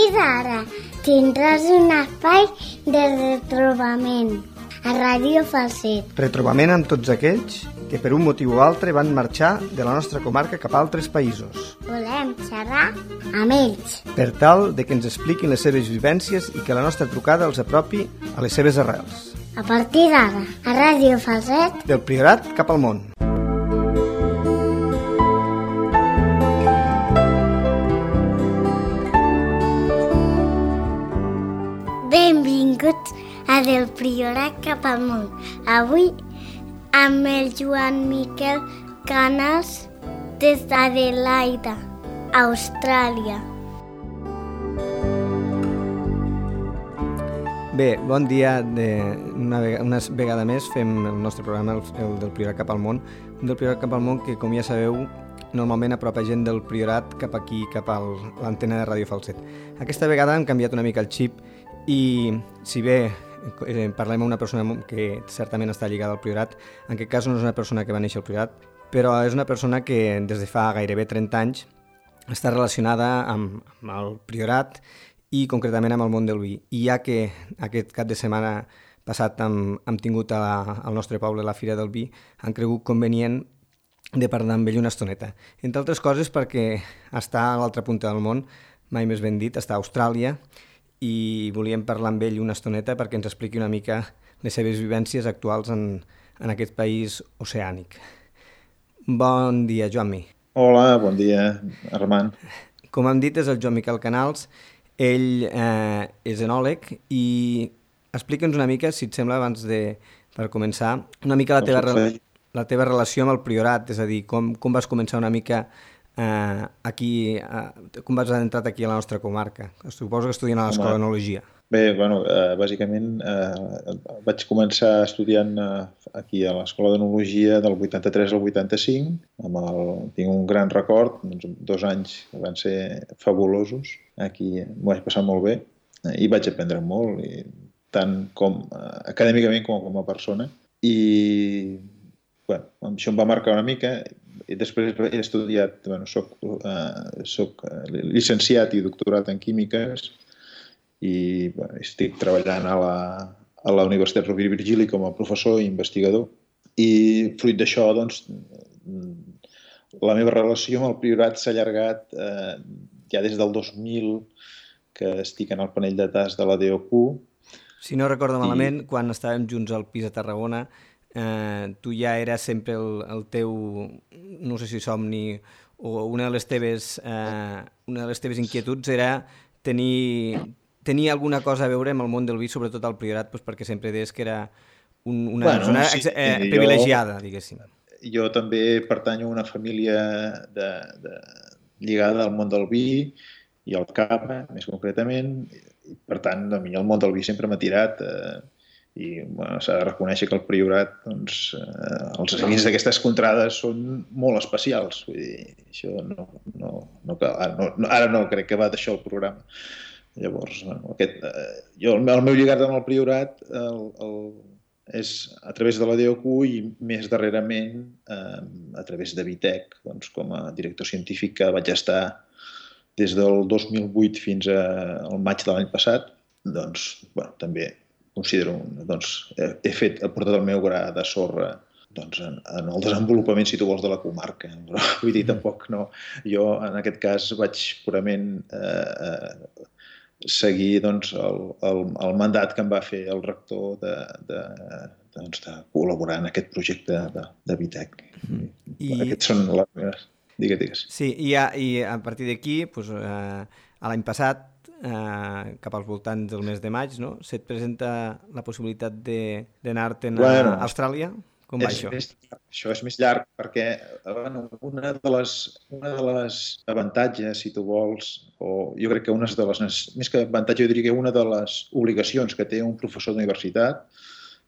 partir d'ara tindràs un espai de retrobament a Ràdio Falset. Retrobament amb tots aquells que per un motiu o altre van marxar de la nostra comarca cap a altres països. Volem xerrar amb ells, Per tal de que ens expliquin les seves vivències i que la nostra trucada els apropi a les seves arrels. a partir d'ara a Ràdio Falset. Del Priorat cap al món. Benvinguts a Del Priorat cap al món. Avui amb el Joan Miquel Canals des d'Adelaida, Austràlia. Bé, bon dia. Una vegada més fem el nostre programa, el del Priorat cap al món. Un del Priorat cap al món que, com ja sabeu, normalment apropa gent del Priorat cap aquí, cap a l'antena de Ràdio Falset. Aquesta vegada hem canviat una mica el xip i, si bé parlem amb una persona que certament està lligada al Priorat, en aquest cas no és una persona que va néixer al Priorat, però és una persona que des de fa gairebé 30 anys està relacionada amb el Priorat i concretament amb el món del vi. I ja que aquest cap de setmana passat hem tingut al nostre poble la Fira del Vi, han cregut convenient de parlar amb ell una estoneta. Entre altres coses perquè està a l'altra punta del món, mai més ben dit, està a Austràlia, i volíem parlar amb ell una estoneta perquè ens expliqui una mica les seves vivències actuals en aquest país oceànic. Bon dia, Joan-Mi. Hola, bon dia, Armand. Com hem dit, és el Joan Miquel Canals. Ell és enòleg i explica'ns una mica, si et sembla, per començar, una mica la teva relació amb el Priorat, és a dir, com vas començar una mica aquí, com vas entrar aquí a la nostra comarca? Suposo que estudiant a l'Escola d'Enologia. Bé, bàsicament vaig començar estudiant aquí a l'Escola d'Enologia del 83 al 85. Tinc un gran record, 2 anys que van ser fabulosos. Aquí m'ho vaig passar molt bé i vaig aprendre molt, tant com acadèmicament com a persona. I això em va marcar una mica. I després he estudiat, soc llicenciat i doctorat en químiques i estic treballant a la Universitat Rovira i Virgili com a professor i investigador. I fruit d'això, doncs, la meva relació amb el Priorat s'ha allargat ja des del 2000, que estic en el panell de tas de la DOQ. Si no recordo malament, quan estàvem junts al pis a Tarragona, tu ja eres sempre el teu, no sé si somni, o una de les teves inquietuds era tenir alguna cosa a veure amb el món del vi, sobretot al Priorat, perquè sempre deies que era una persona privilegiada, diguéssim. Jo també pertanyo a una família lligada al món del vi i al cava, més concretament. Per tant, a mi el món del vi sempre m'ha tirat i s'ha de reconèixer que el Priorat, els vins d'aquestes contrades són molt especials. Vull dir, això ara no crec que va d'això el programa. Llavors, el meu lligat amb el Priorat és a través de la DOQ i més darrerament a través de Vitec, com a director científic que vaig estar des del 2008 fins al maig de l'any passat. Doncs, també considero, he portat el meu gra de sorra en el desenvolupament, si tu vols, de la comarca. Però, vull dir, tampoc no. Jo, en aquest cas, vaig purament seguir el mandat que em va fer el rector de col·laborar en aquest projecte de Vitec. Aquests són les meves... Digues. Sí, i a partir d'aquí, l'any passat, cap als voltants del mes de maig, no? Se't presenta la possibilitat d'anar-te'n a Austràlia? Com va això? Això és més llarg perquè una de les avantatges, si tu vols, o jo crec que més que avantatge, jo diria que una de les obligacions que té un professor d'universitat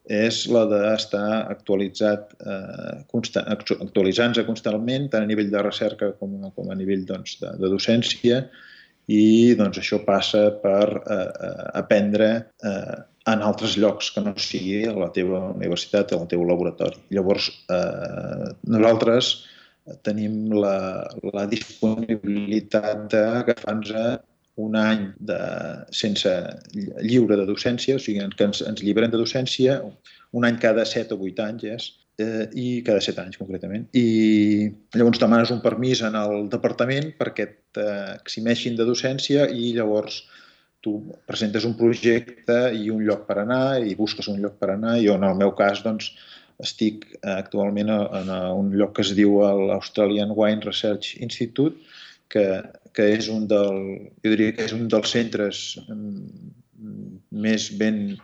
és la d'estar actualitzant-se constantment, tant a nivell de recerca com a nivell de docència, i això passa per aprendre en altres llocs que no sigui a la teva universitat o al teu laboratori. Llavors, nosaltres tenim la disponibilitat d'agafar-nos un any sense lliure de docència, o sigui, que ens lliberem de docència un any cada 7 o 8 anys, i cada 7 anys concretament. I llavors demanes un permís en el departament perquè t'eximeixin de docència i llavors tu presentes un projecte i un lloc per anar i busques un lloc per anar. Jo, en el meu cas, doncs, estic actualment en un lloc que es diu l'Australian Wine Research Institute, que és jo diria que és un dels centres més ben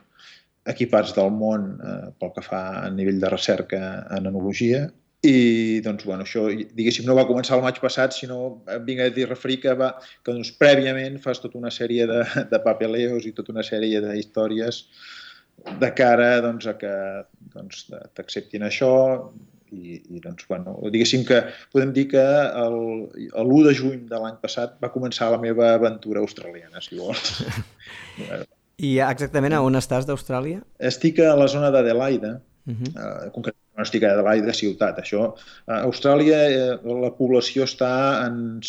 equipats del món pel que fa a nivell de recerca en enologia. I doncs, bueno, això, diguéssim, no va començar el maig passat, sinó vinc a referir que doncs, prèviament fas tota una sèrie de papeleos i tota una sèrie d'històries de cara doncs, a que doncs, t'acceptin això. I doncs, bueno, diguéssim que podem dir que l'1 de juny de l'any passat va començar la meva aventura australiana, si vols. I exactament a on estàs d'Austràlia? Estic a la zona d'Adelaida, concretament no estic a Adelaida ciutat. Això, a Austràlia la població està en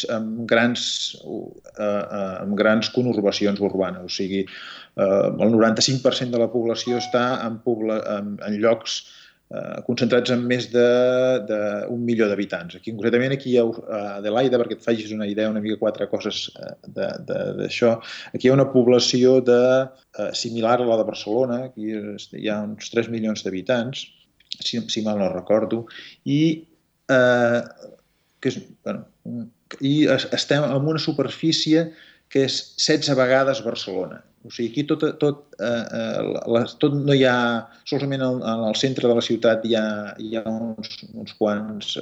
grans conurbacions urbanes, o sigui, el 95% de la població està en llocs concentrats en més d'1 milió d'habitants. Concretament aquí a Adelaida, perquè et facis una idea, una mica 4 coses d'això, aquí hi ha una població similar a la de Barcelona, aquí hi ha uns 3 milions d'habitants, si mal no recordo, i estem en una superfície que és 16 vegades Barcelona. O sigui, aquí tot no hi ha... Solament al centre de la ciutat hi ha uns quants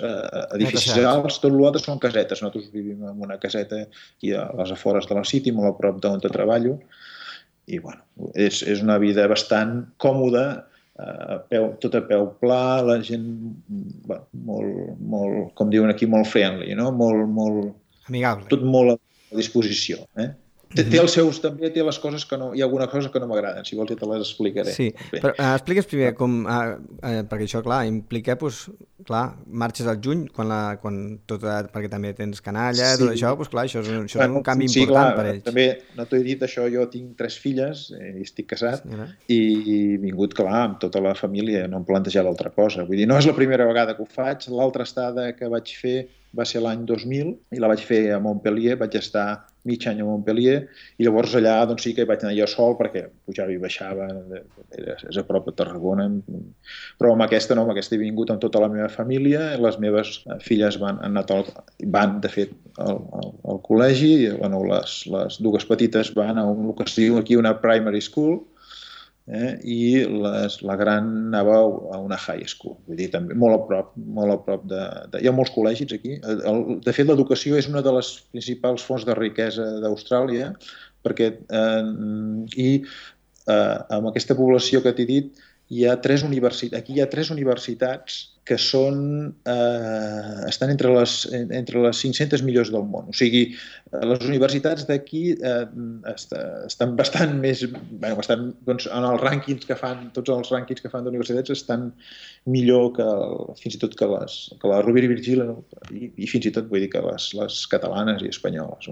edificis alts, tot l'altre són casetes. Nosaltres vivim en una caseta aquí a les afores de la City, molt a prop d'on treballo, i bueno, és una vida bastant còmoda, tot a peu pla, la gent, molt, com diuen aquí, molt friendly, no? Molt amigable. Tot molt a disposició, Té els seus, també té les coses que no... Hi ha alguna cosa que no m'agraden, si vols ja te les explicaré. Sí, però expliques primer com... perquè això, clar, implica, doncs, clar, marxes al juny, perquè també tens canalla, tot això, doncs clar, això és un canvi important per ells. També, no t'ho he dit, això, jo tinc 3 filles, i estic casat, i he vingut, clar, amb tota la família, no em plantejava altra cosa. Vull dir, no és la primera vegada que ho faig, l'altra estada que vaig fer va ser l'any 2000 i la vaig fer a Montpellier, vaig estar mig any a Montpellier i llavors allà doncs sí que hi vaig anar jo sol perquè pujava i baixava, és a prop de Tarragona, però amb aquesta no, amb aquesta he vingut amb tota la meva família, les meves filles van de fet al col·legi, i, bueno, les dues petites van a el que es diu aquí una primary school, i la gran anava a una high school, vull dir, també molt a prop de... Hi ha molts col·legis aquí. De fet, l'educació és una de les principals fonts de riquesa d'Austràlia, perquè amb aquesta població que t'he dit, aquí hi ha 3 universitats que estan entre les 500 millors del món. O sigui, les universitats d'aquí estan bastant més... Doncs, en els rànquings que fan, tots els rànquings que fan d'universitats estan millor fins i tot que la Rovira i Virgili i fins i tot vull dir que les catalanes i espanyoles.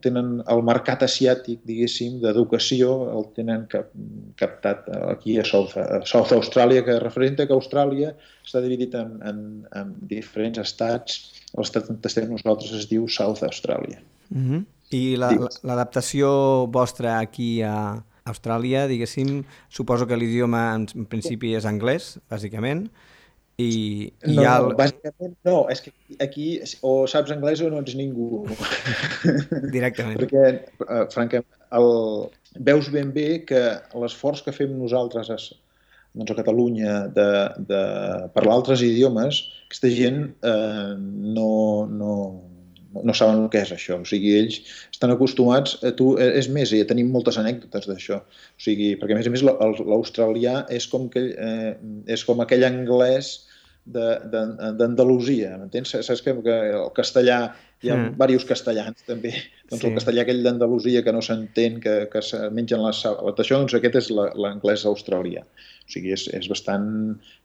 Tenen el mercat asiàtic, diguéssim, d'educació, el tenen captat aquí a South Austràlia, que representa que Austràlia està dividit en diferents estats. L'estat on estem nosaltres es diu South Austràlia. I l'adaptació vostra aquí a Austràlia, diguéssim, suposo que l'idioma en principi és anglès, bàsicament, bàsicament no, és que aquí o saps anglès o no ets ningú. Directament. Perquè, francament, veus ben bé que l'esforç que fem nosaltres a Catalunya de parlar altres idiomes, aquesta gent no saben el que és això. O sigui, ells estan acostumats a tu... És més, ja tenim moltes anècdotes d'això. O sigui, perquè a més l'australià és com aquell anglès d'Andalusia, m'entens? Saps que el castellà, hi ha diversos castellans també, doncs el castellà aquell d'Andalusia que no s'entén, que se mengen les sales, doncs aquest és l'anglès australià. O sigui, és bastant...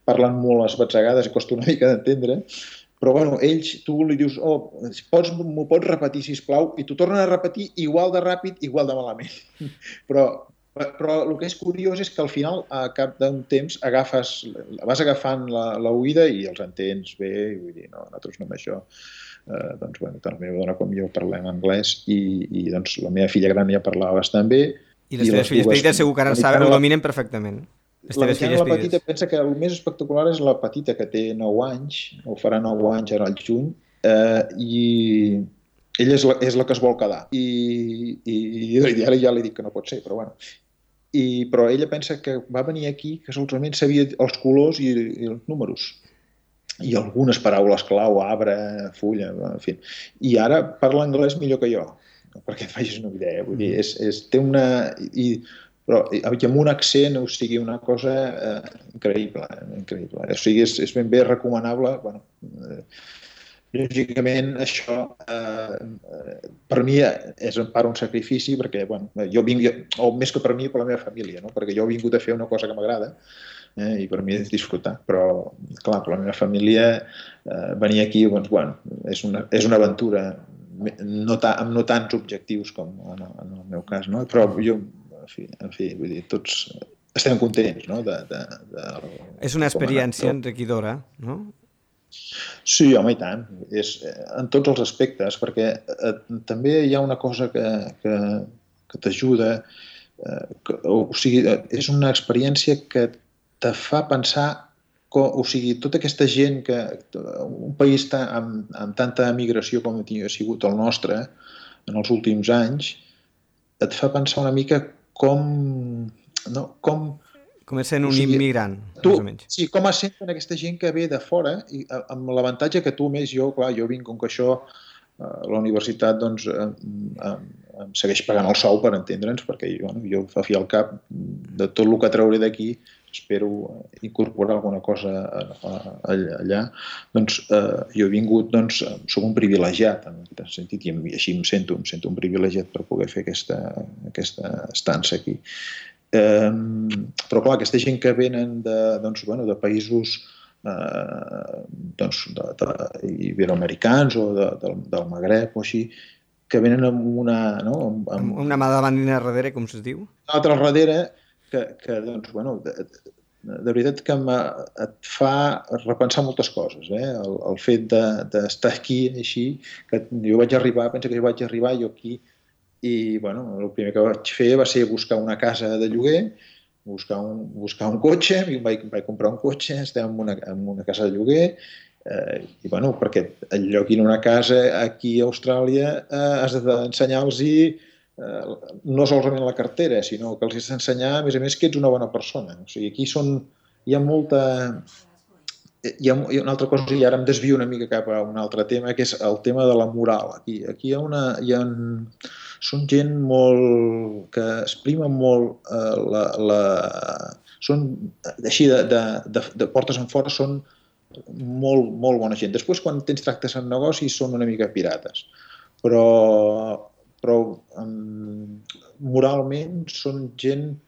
Parlen molt esbatzegades i costa una mica d'entendre, Però, bueno, ells, tu li dius, m'ho pots repetir, sisplau, i t'ho tornen a repetir igual de ràpid, igual de malament. Però el que és curiós és que al final, a cap d'un temps, vas agafant l'oïda i els entens bé, i vull dir, no, nosaltres no amb això. Doncs, bueno, tant la meva dona com jo parlem anglès i doncs la meva filla gran ja parlava bastant bé. I les teves filles petites segur que ara ho dominen perfectament. La petita pensa que el més espectacular és la petita, que té 9 anys, o farà 9 anys ara al juny, i ella és la que es vol quedar. I ara ja li dic que no pot ser, però bueno. Però ella pensa que va venir aquí que solament sabia els colors i els números. I algunes paraules clau, arbre, fulla, en fi. I ara parla anglès millor que jo, perquè et facis una idea. Vull dir, té una... Però amb un accent, o sigui, una cosa increïble. O sigui, és ben bé recomanable. Bueno, lògicament, això per mi és en part un sacrifici, perquè jo vinc, o més que per mi, per la meva família, no? Perquè jo he vingut a fer una cosa que m'agrada i per mi és disfrutar. Però, clar, per la meva família venir aquí, doncs, bueno, és una aventura amb no tants objectius com en el meu cas, no? Però jo... En fi, vull dir, tots estem contents, no? És una experiència enriquidora, no? Sí, home, i tant. És en tots els aspectes, perquè també hi ha una cosa que t'ajuda, o sigui, és una experiència que te fa pensar, o sigui, tota aquesta gent que un país amb tanta emigració com ha sigut el nostre en els últims anys, et fa pensar una mica com és sent un immigrant, més o menys. Sí, com es senten aquesta gent que ve de fora, i amb l'avantatge que tu més, jo vinc, com que això, la universitat doncs em segueix pagant el sou, per entendre'ns, perquè jo fa fi al cap de tot el que trauré d'aquí, espero incorporar alguna cosa allà. Doncs jo he vingut, doncs, soc un privilegiat en aquest sentit, i així em sento un privilegiat per poder fer aquesta estança aquí. Però clar, aquesta gent que venen de països iberoamericans o del Magreb o així, que venen amb una... Amb una mà davant i una darrere, com se'ls diu? Una altra darrere, que doncs, bueno, de veritat que et fa repensar moltes coses, el fet d'estar aquí així, que jo vaig arribar jo aquí, i bueno, el primer que vaig fer va ser buscar una casa de lloguer, buscar un cotxe, i vaig comprar un cotxe, estem en una casa de lloguer, i bueno, perquè lloguin una casa aquí a Austràlia has d'ensenyar-los no solament la cartera, sinó que els has d'ensenyar, a més, que ets una bona persona. O sigui, aquí hi ha molta... Hi ha una altra cosa, i ara em desvio una mica cap a un altre tema, que és el tema de la moral. Aquí són gent molt... que exprimen molt són, així, de portes en fora, són molt, molt bona gent. Després, quan tens tractes en negocis, són una mica pirates. Però moralment són gent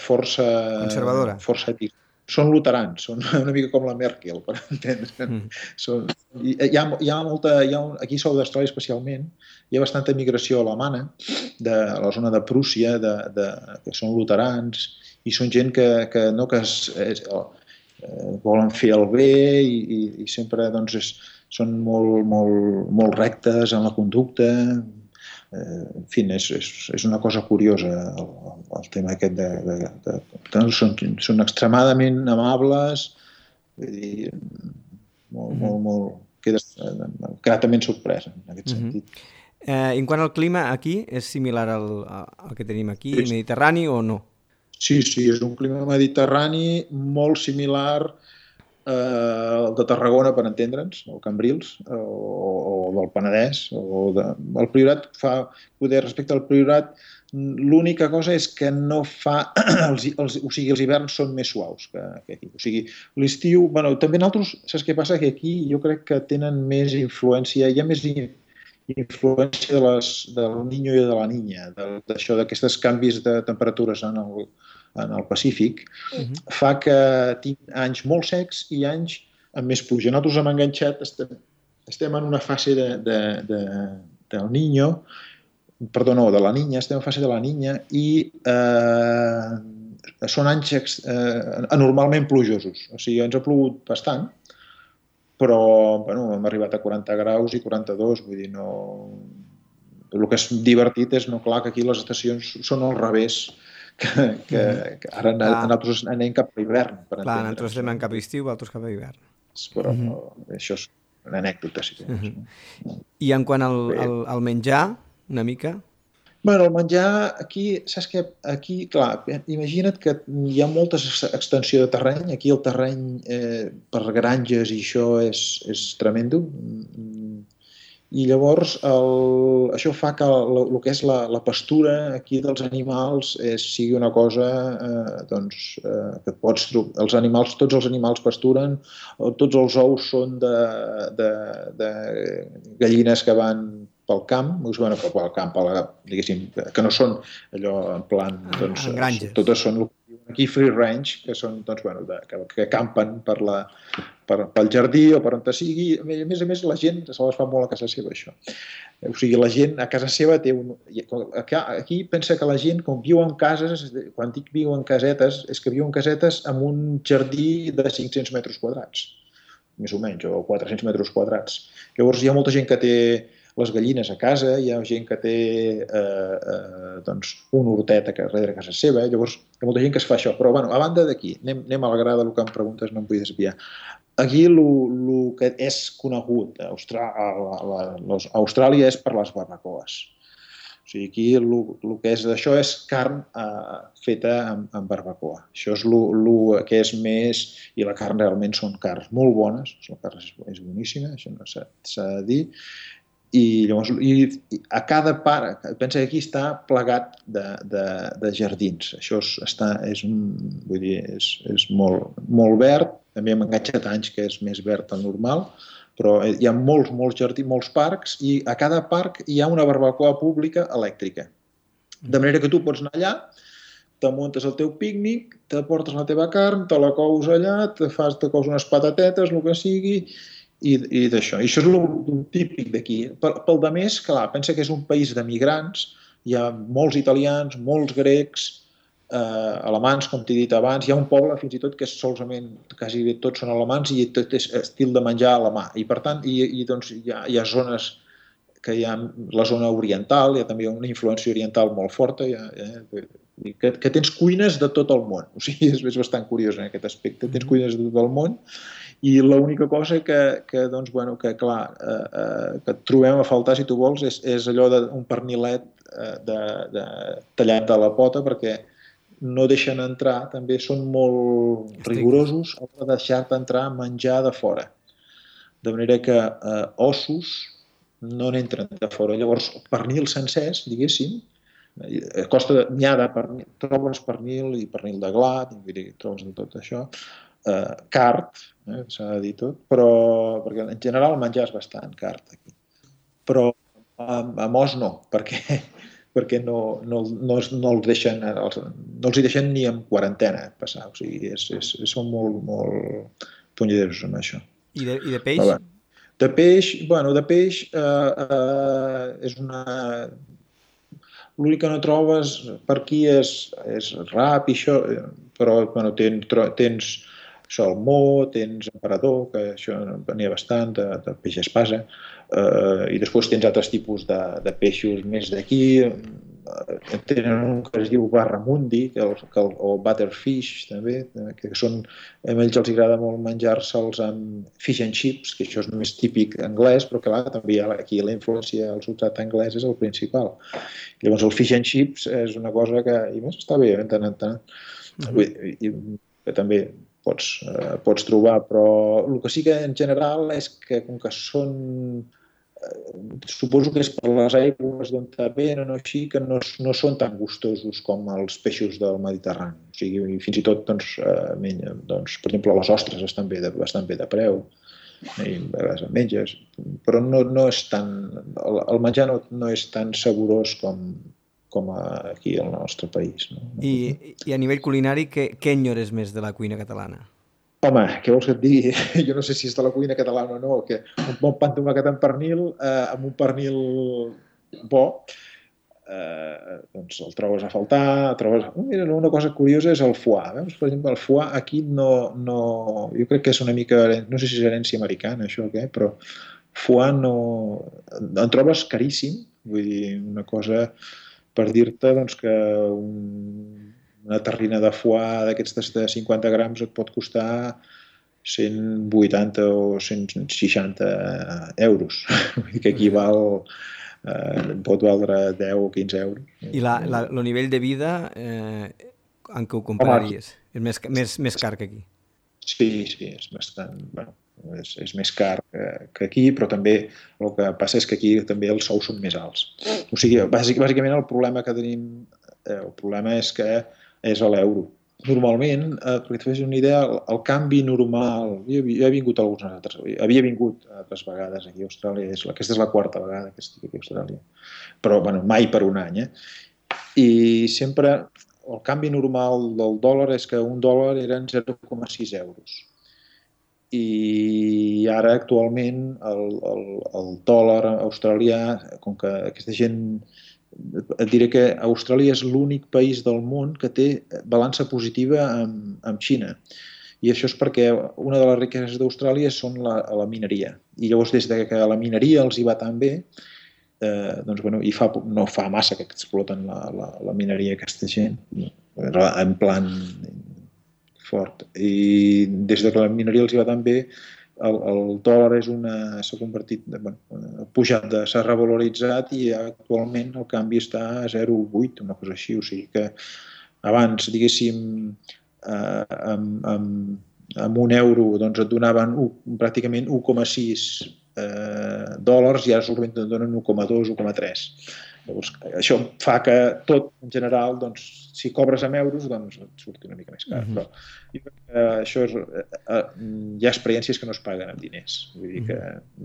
força... conservadora. Força ètica. Són luterans, són una mica com la Merkel, per entendre. Hi ha molta... Aquí a South Austràlia especialment, hi ha bastanta migració alemana, de la zona de Prússia, que són luterans, i són gent que volen fer el bé i sempre són molt rectes en la conducta. En fi, és una cosa curiosa el tema aquest són extremadament amables, quedes gratament sorprès en aquest sentit. En quant al clima, aquí és similar al que tenim aquí, mediterrani o no? Sí, és un clima mediterrani molt similar el de Tarragona, per entendre'ns, o Cambrils, o del Penedès, el Priorat respecte al Priorat, l'única cosa és que no fa... O sigui, els hiverns són més suaus que aquí. O sigui, l'estiu... Bueno, també nosaltres, saps què passa? Que aquí jo crec que tenen més influència, hi ha més influència del Niño i de la Niña, d'aquests canvis de temperatures en el Pacífic, fa que tinc anys molt secs i anys amb més pluja. Nosaltres hem enganxat, estem en una fase del niño, perdó, no, de la niña, estem en fase de la niña i són anys anormalment plujosos. O sigui, ens ha plogut bastant, però bueno, hem arribat a 40 graus i 42, vull dir, no... El que és divertit és, no, clar, que aquí les estacions són al revés, que ara nosaltres anem cap a l'hivern. Clar, nosaltres estem en cap a estiu, altres cap a hivern. Però això és una anècdota, si tens. I en quant al menjar, una mica? Bueno, el menjar, aquí, saps què? Aquí, clar, imagina't que hi ha molta extensió de terreny. Aquí el terreny per granges i això és tremendo. I llavors això fa que el que és la pastura aquí dels animals sigui una cosa que pots trobar. Tots els animals pasturen, tots els ous són de gallines que van pel camp, pel camp, diguéssim, que no són allò en plan... granges. Totes són aquí free range, que són, que campen pel jardí o per on sigui. A més, la gent se les fa molt a casa seva, això. O sigui, la gent a casa seva té aquí pensa que la gent, com viu en cases, quan dic viu en casetes, és que viu en casetes amb un jardí de 500 metres quadrats, més o menys, o 400 metres quadrats. Llavors, hi ha molta gent que té les gallines a casa, hi ha gent que té un hortet darrere casa seva, llavors hi ha molta gent que es fa això. Però, a banda d'aquí, anem a la gra del que em preguntes, no em vull desviar. Aquí el que és conegut a Austràlia és per les barbacoes. O sigui, aquí el que és d'això és carn feta amb barbacoa. Això és el que és més... I la carn realment són carns molt bones, la carn és boníssima, això no s'ha de dir. I llavors a cada part, pensa que aquí està plegat de jardins. Això és molt verd, també hem enganxat anys que és més verd del normal, però hi ha molts jardins, molts parcs, i a cada parc hi ha una barbacoa pública elèctrica. De manera que tu pots anar allà, te muntes el teu pícnic, te portes la teva carn, te la cous allà, te cous unes patatetes, el que sigui, i d'això. I això és el típic d'aquí. Pel de més, clar, pensa que és un país de migrants, hi ha molts italians, molts grecs, alemans, com t'he dit abans, hi ha un poble fins i tot que solament, quasi tots són alemans i tot és estil de menjar alemà. I per tant, hi ha zones que hi ha la zona oriental, hi ha també una influència oriental molt forta, que tens cuines de tot el món. O sigui, és bastant curiós en aquest aspecte. Tens cuines de tot el món i l'única cosa que trobem a faltar, si tu vols, és allò d'un pernilet tallat de la pota, perquè no deixen entrar, també són molt rigorosos a l'hora de deixar-te entrar menjar de fora. De manera que ossos no n'entren de fora. Llavors, pernil sencers, diguéssim, trobes pernil i pernil de glat, trobes de tot això, cart, s'ha de dir tot, però perquè en general el menjar és bastant cart aquí. Però amb os no, perquè no els deixen ni en quarantena passar, o sigui, són molt punyederos amb això. I de peix? De peix és una... L'únic que no trobes per aquí és rap i això, però tens salmó, tens emperador, que això n'hi ha bastant, de peix espasa, i després tens altres tipus de peixos més d'aquí. Tenen un que es diu barramundi o butterfish també, que són, a ells els agrada molt menjar-se'ls amb fish and chips, que això és més típic anglès, però que també aquí la influència del substrat anglès és el principal. Llavors el fish and chips és una cosa que, i més, està bé, tant. Que també pots trobar, però el que sí que en general és que com que són... Suposo que és per les aigües d'on venen o així, que no són tan gustosos com els peixos del Mediterrani. O sigui, fins i tot, per exemple, les ostres estan bastant bé de preu, i a vegades en menges, però no és tan... El menjar no és tan saborós com aquí al nostre país. I a nivell culinari, què enyores més de la cuina catalana? Home, què vols que et digui? Jo no sé si és de la cuina catalana o no, que un bon pa amb tomàquet amb pernil, amb un pernil bo, doncs el trobes a faltar, Mira, una cosa curiosa és el foie. Veus? Per exemple, el foie aquí no... Jo crec que és una mica... No sé si és herència americana, això o què, però foie no... En trobes caríssim, vull dir, una cosa per dir-te doncs, que una terrina de foie d'aquestes de 50 grams et pot costar 180 o 160 euros, que equival... pot valdre 10 o 15 euros. I el nivell de vida en què ho compararies? És més car que aquí? Sí, és bastant... Bueno, és més car que aquí, però també el que passa és que aquí també els sous són més alts. O sigui, bàsicament el problema que tenim, el problema és que és a l'euro. Normalment, perquè et fes una idea, el canvi normal... Jo he vingut havia vingut altres vegades aquí a Austràlia, aquesta és la quarta vegada que estic aquí a Austràlia, però bueno, mai per un any. I sempre el canvi normal del dòlar és que un dòlar eren 0,6 euros. I ara actualment el dòlar australià, com que aquesta gent... Et diré que Austràlia és l'únic país del món que té balança positiva amb Xina. I això és perquè una de les riqueses d'Austràlia són la mineria. I llavors, des que la mineria els hi va tan bé, doncs, bueno, i no fa massa que exploten la mineria aquesta gent, en plan fort. I des que la mineria els hi va tan bé, el dòlar s'ha convertit, pujat, s'ha revaloritzat i actualment el canvi està a 0,8, una cosa així. O sigui que abans, diguéssim, amb un euro doncs et donaven pràcticament 1,6 dòlars i ara solament et donen 1,2, 1,3. Llavors, això fa que tot, en general, doncs, si cobres amb euros, doncs et surti una mica més car. Però jo crec que això hi ha experiències que no es paguen amb diners. Vull dir que,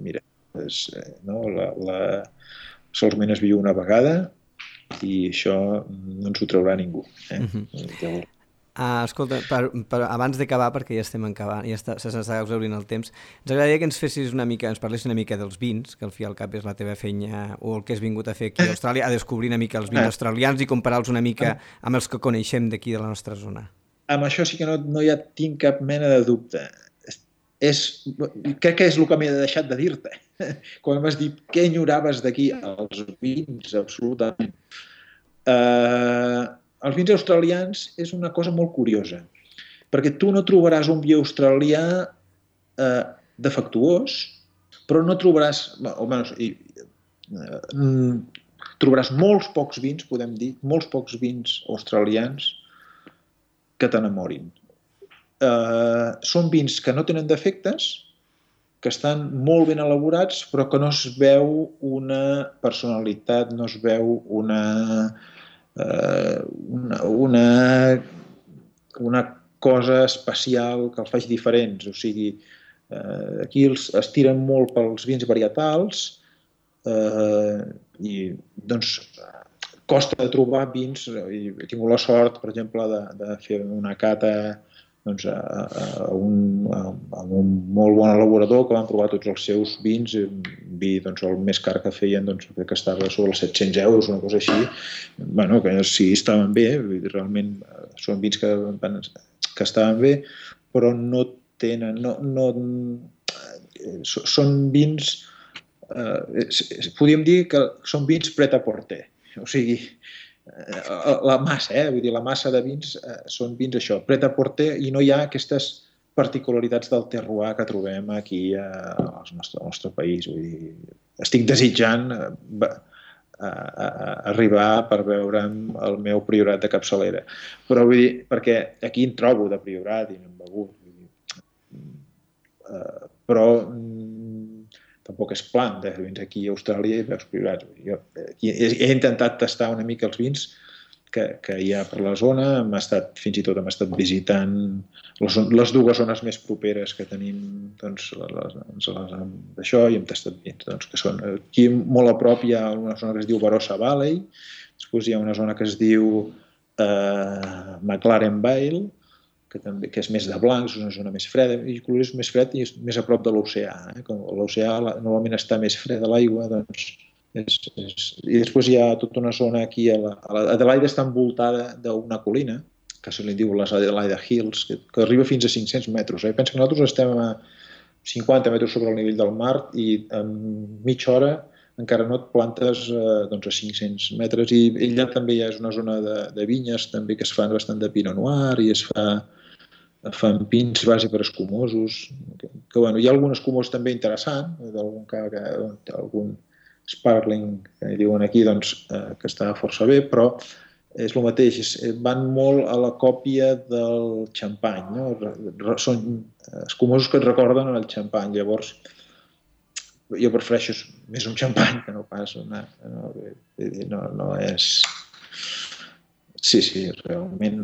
mira, solament es viu una vegada i això no ens ho traurà ningú. Escolta, abans d'acabar, perquè ja estem acabant, se s'està exhaurint el temps, ens agradaria que ens parlessis una mica dels vins, que al fi al cap és la teva feina, o el que has vingut a fer aquí a Austràlia, a descobrir una mica els vins australians i comparar-los una mica amb els que coneixem d'aquí de la nostra zona. Amb això sí que no hi tinc cap mena de dubte. Crec que és el que m'he deixat de dir-te. Quan m'has dit què enyoraves d'aquí, els vins, absolutament. Els vins australians és una cosa molt curiosa, perquè tu no trobaràs un vi australià defectuós, però no trobaràs... trobaràs molts pocs vins, podem dir, molts pocs vins australians que t'enamorin. Són vins que no tenen defectes, que estan molt ben elaborats, però que no es veu una personalitat, no es veu una cosa especial que els faci diferents. O sigui, aquí es tiren molt pels vins varietals i doncs costa de trobar vins. He tingut la sort, per exemple, de fer una cata doncs, a un molt bon elaborador que van provar tots els seus vins. Vi, doncs, el més car que feien, doncs, crec que estava sobre els 700 euros, una cosa així. Bueno, que sí, estaven bé, realment són vins que estaven bé, però no tenen... Són vins... podríem dir que són vins pret-à-porter. O sigui, la massa, vull dir, la massa de vins són vins això, pret-à-porter, i no hi ha aquestes particularitats del terroir que trobem aquí al nostre país. Vull dir, estic desitjant arribar per veure'm el meu priorat de capçalera. Però vull dir, perquè aquí en trobo de priorat i n'hem begut. Però tampoc és plan de vins aquí a Austràlia i veus priorats. Jo he intentat tastar una mica els vins que hi ha per la zona, fins i tot hem estat visitant les dues zones més properes que tenim, doncs, d'això, i hem tastat vins, doncs, que són aquí molt a prop hi ha una zona que es diu Barossa Valley, després hi ha una zona que es diu McLaren Vale, que és més de blancs, és una zona més freda, i Colorés és més fred i és més a prop de l'oceà. Com l'oceà normalment està més freda l'aigua, doncs i després hi ha tota una zona aquí, Adelaida està envoltada d'una colina, que se li diu les Adelaida Hills, que arriba fins a 500 metres. Pensa que nosaltres estem a 50 metres sobre el nivell del mar i en mitja hora encara no et plantes a 500 metres, i allà també hi ha una zona de vinyes també que es fan bastant de Pinot Noir i es fan pins base per escumosos, que hi ha algun escumós també interessant, algun sparkling, que diuen aquí, que està força bé, però és el mateix, van molt a la còpia del xampany, no? Són escumosos que et recorden el xampany, llavors jo prefereixo més un xampany que no pas no és... Sí, realment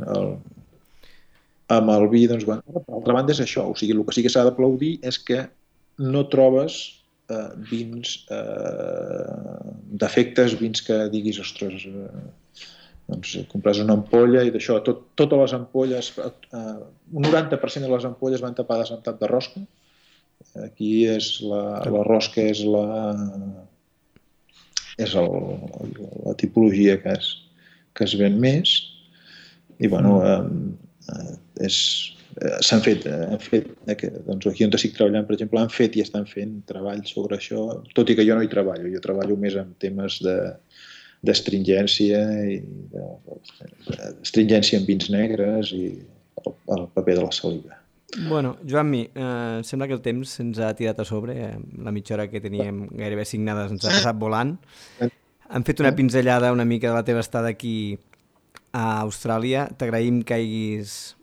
amb el vi, per altra banda és això, o sigui, el que sí que s'ha d'aplaudir és que no trobes vins defectes, vins que diguis, ostres, compres una ampolla i d'això, totes les ampolles, un 90% de les ampolles van tapades amb tap de rosca. Aquí la rosca és la tipologia que es ven més i s'han fet aquí on estic treballant, per exemple, han fet i estan fent treballs sobre això, tot i que jo no hi treballo, jo treballo més en temes d'astringència en vins negres i el paper de la saliva. Bueno, Joan-Mi, sembla que el temps se'ns ha tirat a sobre, la mitja hora que teníem gairebé assignades ens ha passat volant. Hem fet una pinzellada una mica de la teva estada aquí a Austràlia. T'agraïm que hagis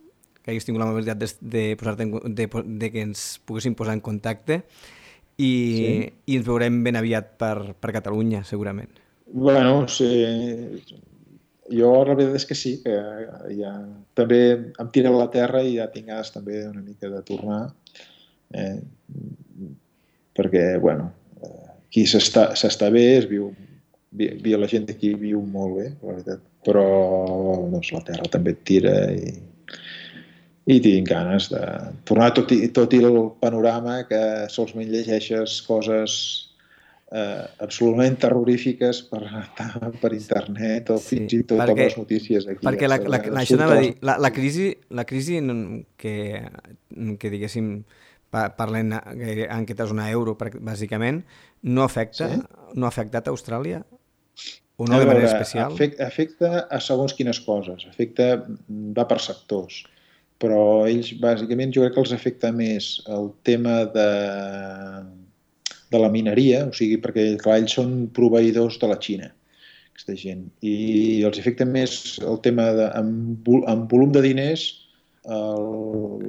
tingut l'amabilitat de que ens poguéssim posar en contacte i ens veurem ben aviat per Catalunya, segurament. Bueno, sí. Jo la veritat és que sí, que ja també em tira a la terra i ja tinc ganes també una mica de tornar, perquè, aquí s'està bé, la gent d'aquí viu molt bé, la veritat, però la terra també et tira i tinc ganes de tornar, tot i el panorama que solament llegeixes coses absolutament terrorífiques per internet o fins i tot amb les notícies aquí. Perquè això anava a dir, la crisi que diguéssim parlen en aquesta zona euro bàsicament, no ha afectat a Austràlia? O no de manera especial? Afecta a segons quines coses, va per sectors, però ells bàsicament jo crec que els afecta més el tema de la mineria, o sigui, perquè clar, ells són proveïdors de la Xina, aquesta gent, i els afecta més el tema amb volum de diners, el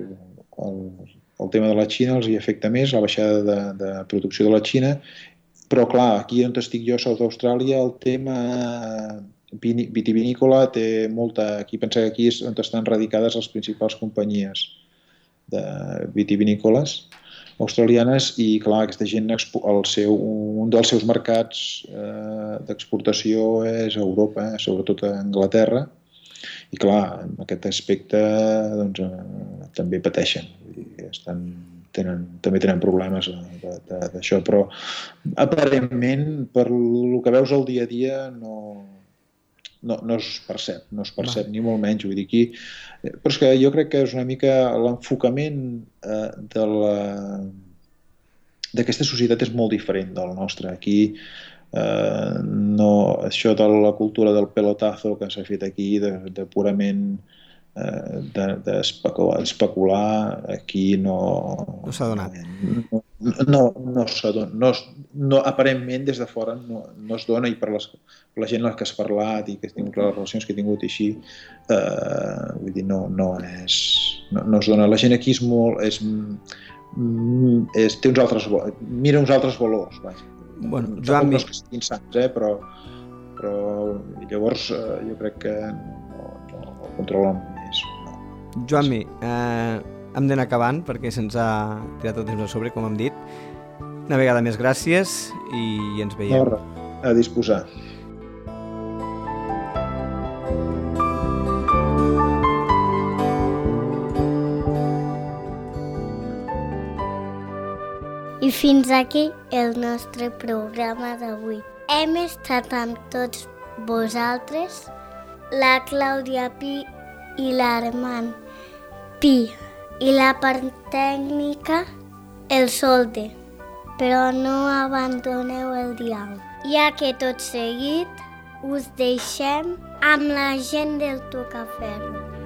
tema de la Xina els hi afecta més, la baixada de producció de la Xina, però clar, aquí on estic jo, a South Austràlia, el tema vitivinícola té molta... Pensa que aquí és on estan radicades les principals companyies de vitivinícoles australianes i, clar, aquesta gent, un dels seus mercats d'exportació és a Europa, sobretot a Anglaterra, i, clar, en aquest aspecte també pateixen. També tenen problemes d'això, però aparentment, per el que veus al dia a dia, no es percep ni molt menys, vull dir, aquí. Però és que jo crec que és una mica l'enfocament d'aquesta societat és molt diferent del nostre. Aquí això de la cultura del pelotazo que s'ha fet aquí, de purament d'especular, aquí no s'ha donat. No s'ha donat. Aparentment, des de fora no es dona, i per la gent amb la que has parlat i les relacions que he tingut i així, vull dir, no es dona. La gent aquí és molt... té uns altres... mira uns altres valors, vaja. Bueno, Joan, no és que estiguin sants, però llavors jo crec que no el controlen més. Joan-Mi, hem d'anar acabant perquè se'ns ha tirat el temps a sobre, com hem dit. Una vegada més, gràcies i ens veiem. A disposar. I fins aquí el nostre programa d'avui. Hem estat amb tots vosaltres, la Clàudia Pi i l'Armand Pi, i la part tècnica, el Solde. Però no abandoneu el diàleg, ja que tot seguit us deixem amb la gent del Tocaferro.